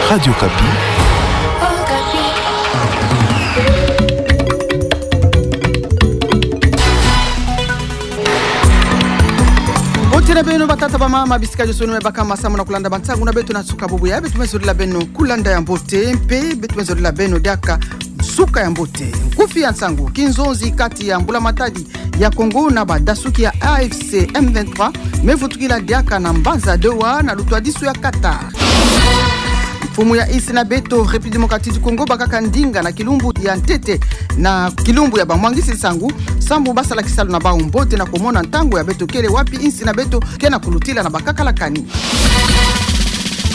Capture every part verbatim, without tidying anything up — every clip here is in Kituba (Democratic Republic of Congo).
Radio Okapi. Mbote na beno batata, bamama, bisika nyonso beno me baka masamu na kulanda bansangu na beto na nsuka bubu ya, beto me zolila beno kulanda ya mbote, mpe beto me zolila beno diaka nsuka ya mbote. Nkufi ya nsangu: kinzonzi kati ya mbula matadi ya Congo na badasuki ya A F C M vingt-trois me vutukila diaka na mbanza Doha na lutwadisu ya Qatar. Mfumu ya insi na beto République Démocratique du Congo bakaka ndinga na kilumbu ya ntete na kilumbu ya bamwangisi nsangu, sambu basala kisalu na bau mbote na kumona ntangu ya beto kele wapi insi na beto ke na kulutila na bakakala kani.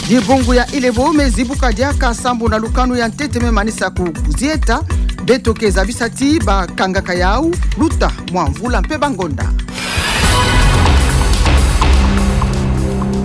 Dibungu ya Ilebo me zibuka diaka sambu na lukanu ya ntete me manisa kuzieta. Beto ke zabisa ti bakangaka yau luta mwa mvula mpe bangonda.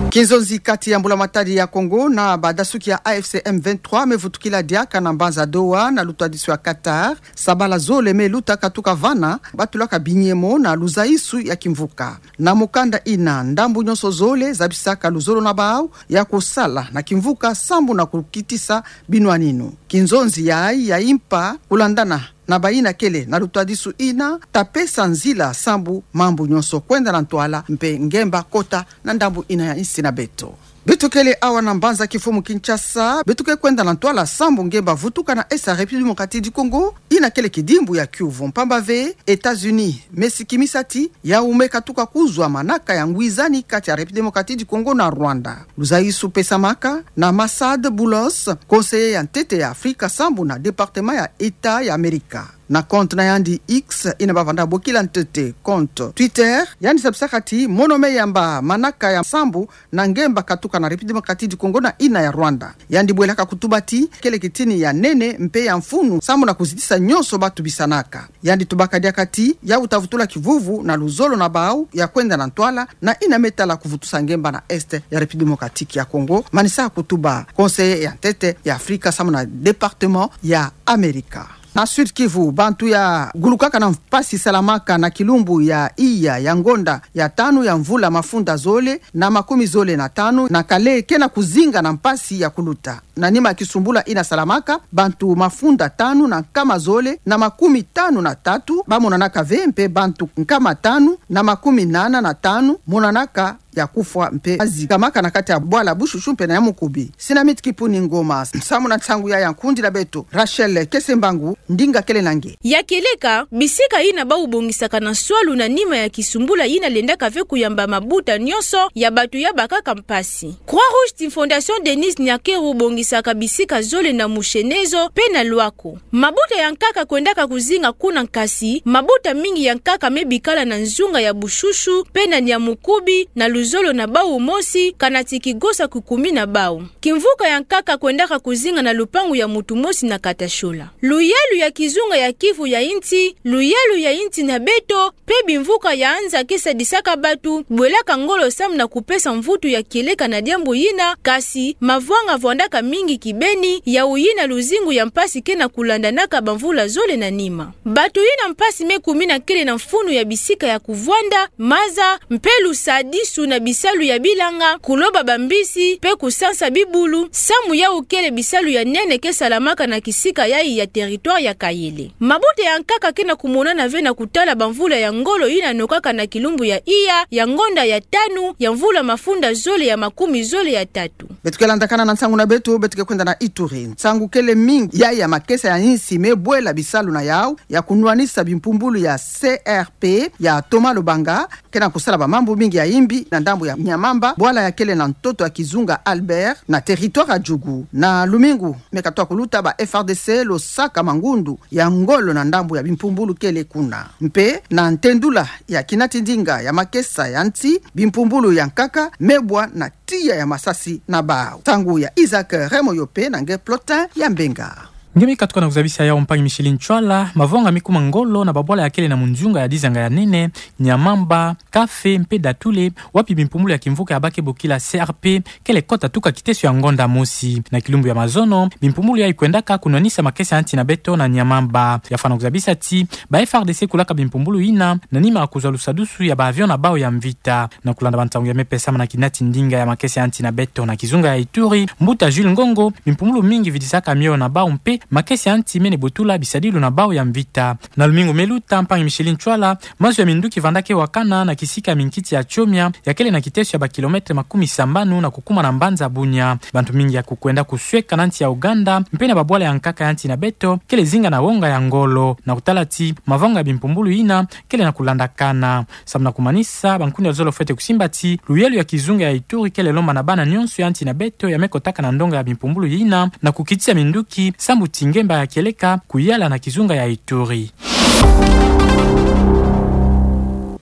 Kinzonzi kati ya mbula matadi ya Congo na badasuki ya A F C M vingt-trois me vutukila diaka na mbanza Doha na lutwadisu ya Qatar. Sabala zole me luta katuka vana, batulaka binyemo na luzaisu ya kimvuka. Na mukanda ina, ndambu nyonso zole zabisaka luzolo na bau ya kusala na kimvuka sambu na kukitisa binwaninu. Kinzonzi yayi ya impa kulandana na bayina kele na lutwadisu ina ta pesa nzila sambu mambu nyonso kwenda na ntwala mpe ngemba kota na ndambu ina ya insi na beto. Beto kele awa na mbanza kifumu Kinshasa, beto ke kwenda na ntwala sambu ngemba vutuka na Est ya République Démocratique du Congo, ina kele kidimbu ya kiuvu, mpamba ve États-Unis me sikimisa ti yau me katuka kuzwa manaka ya ngwizani kati ya République Démocratique du Congo na Rwanda. Luzaisu pesamaka na Masad Boulos, conseiller ya ntete ya Afrika sambu na Département ya État ya Amerika. Na compte na yandi X, ina bavanda bokila ntete compte Twitter, yandi zabisaka ti mono me yamba manaka ya sambu na ngemba katuka na République Démocratique du Congo na ina ya Rwanda. Yandi bwelaka kutuba ti kele kitini ya nene mpe ya mfunu sambu na kuzitisa nyonso batubisanaka. Yandi tubaka diaka ti yau ta vutula kivuvu na luzolo na bau ya kwenda na ntwala na ina me tala kuvutusa ngemba na Est ya République Démocratique ya Congo, manisa kutuba conseiller ya ntete ya Afrika sambu na Département ya Amerika. Na Sud-Kivu, bantu ya gulukaka na mpasi salamaka na kilumbu ya iya ya ngonda ya tanu ya mvula mafunda zole na makumi zole na tanu na kale ke na kuzinga na mpasi ya kuluta. Na nima ya kisumbula ina salamaka, bantu mafunda tanu na nkama zole na makumi tanu na tatu bamonanaka ve, mpe bantu nkama tanu na makumi nana na tanu monanaka ya kufwa mpe bazikamaka na kati ya bwala Bushushu mpe na Nyamukubi. Sinamit Kipuni Ngoma, samu na nsangu ya ya nkundi na beto Rachel Kesembangu, ndinga kele na nge. Ya kieleka, bisika ina bau bongisaka na nswalu na nima ya kisumbula ina lendaka ve kuyamba mabuta nyonso ya bantu ya bakaka mpasi. Croix-Rouge ti Fondation Denise Nyakeru bongisaka bisika zole na Mushenezo mpe na Luako. Mabuta ya nkaka kwendaka kuzinga kuna, kasi mabuta mingi ya nkaka me bikala na nzunga ya Bushushu mpe na Nyamukubi, na luzolo na bau mosi, kana ti kigosa kukumi na bau. Kimvuka ya nkaka kwendaka kuzinga na lupangu ya mutu mosi na Katashola. Luyalu ya kizunga ya Kivu ya insi, luyalu ya insi na beto, mpe bimvuka ya nza ke sadisaka bantu bwelaka ngolo samu na kupesa mvutu ya kieleka na diambu yina, kasi mavwanga vwandaka mingi kibeni, yau yina luzingu ya mpasi ke na kulandanaka bamvula zole na nima. Bantu yina mpasi me kumina kele na mfunu ya bisika ya kuvwanda, maza, mpe lusadisu na bisalu ya bilanga, kuloba bambisi, mpe kusansa bibulu, samu yau kele bisalu ya nene ke salamaka na kisika yayi ya territoire ya Kayele. Mabuta ya nkaka ke na kumonana ve na kutala bamvula ya ngolo yina nokaka na kilumbu ya iya ya ngonda ya tanu ya mvula mafunda zole ya makumi zole ya tatu. Beto ke landakana na nsangu na beto, beto ke kwenda na Ituri. Nsangu kele mingi yayi ya makesa ya insi me bwela bisalu na yau ya kunwanisa bimpumbulu ya C R P ya Thomas Lobanga, ke na kusala bamambu mingi ya imbi na ndambu ya Nyamamba, bwala ya kele na ntoto ya kizunga Albert, na territoire ya Djugu. Na lumingu me katoa kuluta, ba F A R D C losaka mangundu ya ngolo na ndambu ya bimpumbulu kele kuna. Mpe na ntendula ya kinati ndinga ya makesa ya nsi, bimpumbulu ya nkaka me bwa na tiya ya masasi na bau. Nsangu ya Isaac Remoyope na nge Plotin ya Mbenga. Nge mi katuka na kuzabisa yawu, mpangi Micheline Ntsoila, mavonga mikuma ngolo na babwala yakele na munzunga ya dizanga ya nene, Nyamamba, Kafe mpe Datule, wapi bimpumbulu ya kimvuka ya ba ke bokila C R P kele kota tuka kiteso ya ngonda mosi. Na kilumbu ya mazono, bimpumbulu yayi kwendaka kunwanisa makesa ya nsi na beto na Nyamamba. Yafwana kuzabisa ti ba F A R D C kulaka bimpumbulu yina, na nima ya kuzwa lusadusu ya ba avion na bawu ya mvita. Na kulanda bansangu ya me pesama na kinati ndinga ya makesa ya nsi na beto na kizunga ya Ituri, mbuta Jules Ngongo, bimpumbulu mingi vidisaka mioyo na bawu mpe makesa ya nsi mene botula bisadilu na bawu ya mvita. Na lumingu me luta, mpangi Micheline Ntsoila, mazu ya minduki vanda ke wakana na kisika ya minkiti ya Tchomia, yakele na kiteso ya ba kilomètre makumi sambanu na kukuma na mbanza Bunia. Bantu mingi ya kukwenda kusweka na nsi ya Ouganda, mpe na babwala ya nkaka ya nsi na beto, kele zinga na wonga ya ngolo. Na kutala ti mavonga ya bimpumbulu yina kele na kulandakana. Samu na kumanisa, bankundi ya luzolo fwete kusimba ti luyelo ya kizunga ya Ituri kele lomba na bana nyonso ya nsi na beto ya me kotaka na ndonga ya bimpumbulu yina na kukitisa minduki, sambu ti ngemba ya kieleka kuyala na kizunga ya Ituri.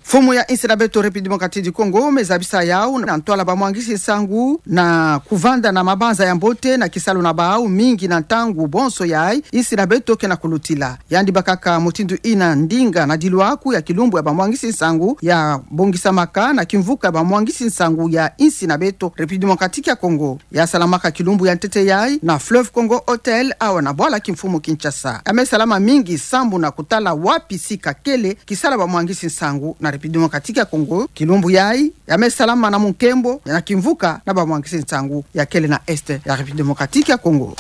Mfumu ya nsi na beto République Démocratique du Congo me zabisa yawu na ntwala bamwangisi nsangu na kuvanda na mabanza ya mbote na kisalu na bawu mingi na ntangu bonso yayi nsi na beto ke na kulutila. Yandi bakaka mutindu yina ndinga na dilwaku ya kilumbu ya bamwangisi nsangu ya bongisamaka na kimvuka ya bamwangisi nsangu ya nsi na beto République Démocratique ya Congo. Ya salamaka kilumbu ya ntete yayi na Fleuve Congo Hotel, awa na bwala kimfumu Kinshasa. Ya me salama mingi sambu na kutala wapi sika kele kisala bamwangisi nsangu na République Démocratique ya Congo. Kilumbu yayi ya me salama na munkembo na kimvuka na bamwangisi nsangu ya kele na Est ya République Démocratique ya Congo.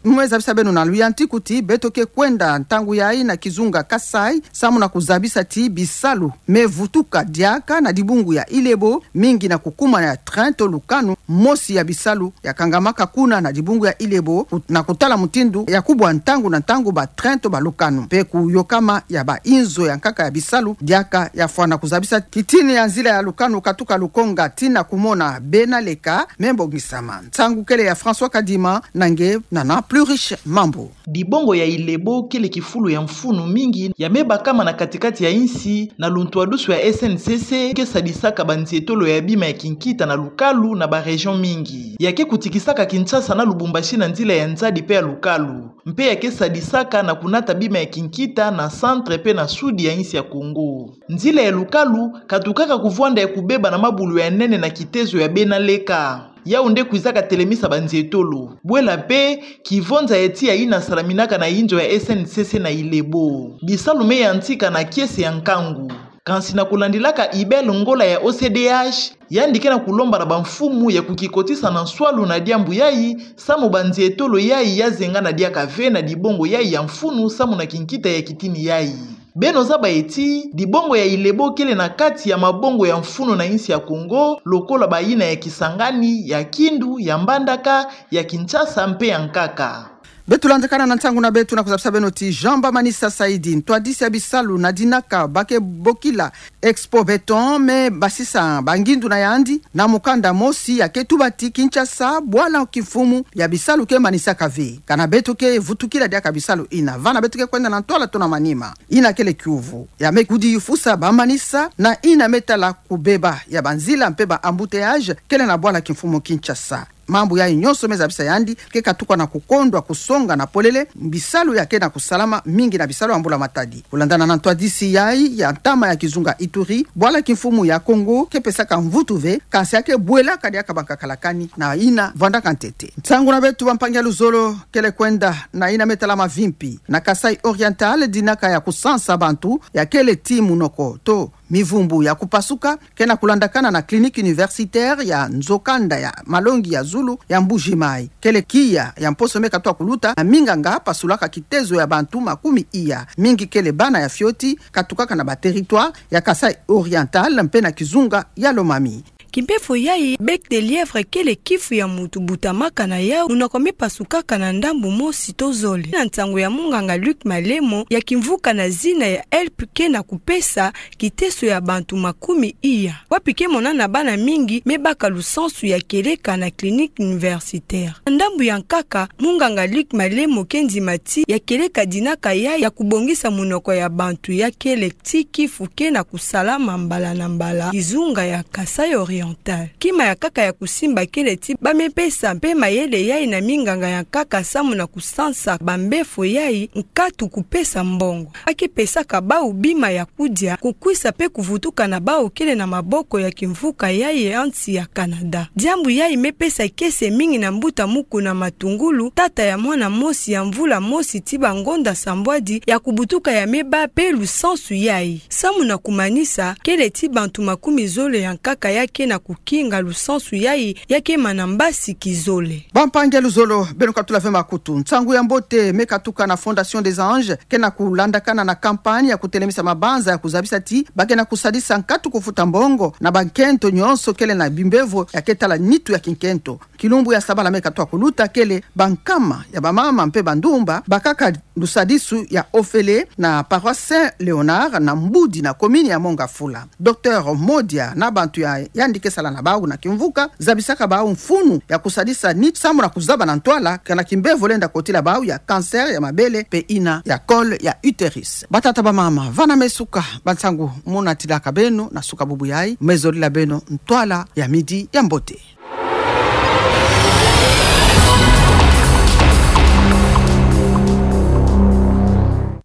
Mu me zabisa beno na luyantiku ti beto ke kwenda ntangu yayi na kizunga Kasaï, samu na kuzabisa ti bisalu me vutuka diaka na dibungu ya Ilebo, mingi na kukuma ya train to lukanu, mosi ya bisalu ya kangamaka kuna na dibungu ya Ilebo, ku-, na kutala mutindu ya kubwa ntangu na ntangu ba train to ba lukanu. Mpe kuyokama ya ba inzo ya nkaka ya bisalu diaka ya fwana kuzabisa kitini ya nzila ya lukanu katuka Lukonga tii na kumona Bena Leka me bongisama. Nsangu kele ya François Kadima, na nge Nana Pluriche Mambu. Dibongo ya Ilebo kele kifulu ya mfunu mingi ya me bakama na kati-kati ya nsi na luntwadusu ya S N C C, ke sadisaka banzietolo ya bima ya kinkita na lukalu na ba région mingi. Ya ke kutikisaka Kinshasa na Lubumbashi na nzila ya nzadi mpe ya lukalu. Mpe ya ke sadisaka na kunata bima ya kinkita na centre mpe na sud ya nsi ya Congo. Nzila ya lukalu katukaka kuvwanda ya kubeba na mabulu ya nene na kitezo ya Bena Leka. Yawu nde kwizaka telemisa banzietolo. Bwela mpe, kivonza ya tiya yina salaminaka na inzo ya S N C C na Ilebo. Bisalu me yantika na kiese ya nkangu. Kansi na kulandilaka Ibel Ngola ya O C D H, yandi ke na kulomba na bamfumu ya kukikotisa na nswalu na diambu yayi, samu banzietolo yayi ya zengana diaka ve na dibongo yayi ya mfunu samu na kinkita ya kitini yayi. Beno zaba ti, dibongo ya Ilebo kele na kati ya mabongo ya mfunu na nsi ya Congo, lokola bayina ya Kisangani, ya Kindu, ya Mbandaka, ya Kinshasa mpe ya nkaka. Beto landakana na nsangu na beto na kuzabisa beno ti Jean Bamanisa Saidi, ntwadisi ya bisalu na dinaka ba ke bokila Expo Béton, me basisa bangindu na yandi na mukanda mosi ya ke tuba ti Kinshasa, bwala kimfumu ya bisalu ke manisaka ve. Kana beto ke vutukila diaka bisalu yina, vana beto ke kwenda na ntwala to na manima. Yina kele kiuvu ya me kudifusa bamanisa na yina me tala kubeba ya banzila mpe ba embouteillage kele na bwala kimfumu Kinshasa. Mambu yayi nyonso me zabisa yandi ke katuka na kukondwa kusonga na polele bisalu ya ke na kusalama mingi na bisalu ya mbula matadi. Kulandana na ntwadisi yayi ya ntama ya kizunga Ituri, bwala kimfumu ya Congo ke pesaka mvutu ve, kansi ya ke bwelaka diaka bankaka la kani na yina vwandaka ntete. Nsangu na beto bampangi ya luzolo, kele kwenda na yina me tala mavimpi na Kasaï Oriental, dinaka ya kusansa bantu ya kele ti munoko to mivumbu ya kupasuka, ke na kulandakana na clinique universitaire ya nzokanda ya malongi ya zulu ya Mbuji-Mayi. Kele kiya ya mposo me katuka kuluta na minganga pasulaka kitezo ya bantu makumi iya, mingi kele bana ya fioti, katukaka na ba territoire ya Kasaï Oriental mpe na kizunga ya Lomami. Kimpefo yayi, bec de lièvre kele kifu ya mutu butamaka na yawu, munoko me pasukaka na ndambu mosi to zole. Na nsangu ya munganga Luc Malemo ya kimvuka na zina ya HELP ke na kupesa kiteso ya bantu makumi iya, wapi ke monana bana mingi me baka lusansu ya kieleka na clinique universitaire. Na ndambu ya nkaka, munganga Luc Malemo ke ndima ti ya kieleka dinaka yayi ya kubongisa munoko ya bantu ya kele ti kifu ke na kusalama mbala na mbala kizunga ya Kasaï Oriental. environnementale. Kima ya nkaka ya kusimba kele ti bamipesa mpe mayele yai na minganga ya nkaka samu na kusansa bambefo yai, nkatu kupesa mbongo. Bakipesaka bau bima ya kudia, kukwisa mpe kuvutuka na bau kele na maboko ya kimvuka yai ya nsi ya Canada. Diambu yai mipesa kiese mingi na mbuta Mukuna Matungulu, tata ya mwana mosi ya mvula mosi ti bangonda sambwadi ya kubutuka ya mibâ mpe lusansu yai. Samu na kumanisa, kele ti bantu makumi zole ya nkaka ya ke na kukinga lusansu yai, ya ke mana mbasi kizole. Bampangi ya luzolo, beno katula ve makutu. Nsangu ya mbote me katuka na Fondation des Anges, ke na kulandakana na campagne ya kutelemisa mabanza ya kuzabisa ti ba ke na kusadisa nkatu kufuta mbongo na bankento nyonso kele na bimbevo ya ke tala nitu ya kinkento. Kilumbu ya sabala me katoa kuluta kele bankama ya bamama mpe bandumba bakaka lusadisu ya ofele na paroisse Saint Léonard na Mbudi na commune ya Mont Ngafula. Docteur Modia na bantu ya yandi ke sala na bau na kimvuka zabisaka bau mfunu ya kusadisa nitu samu na kuzaba na ntwala kana kimbevo lenda kotila bau ya cancer ya mabele mpe ina ya col ya utérus. Batata bamama, vana me suka bansangu muna tilaka beno na suka bubu yai, me zolila beno ntwala ya midi ya mbote.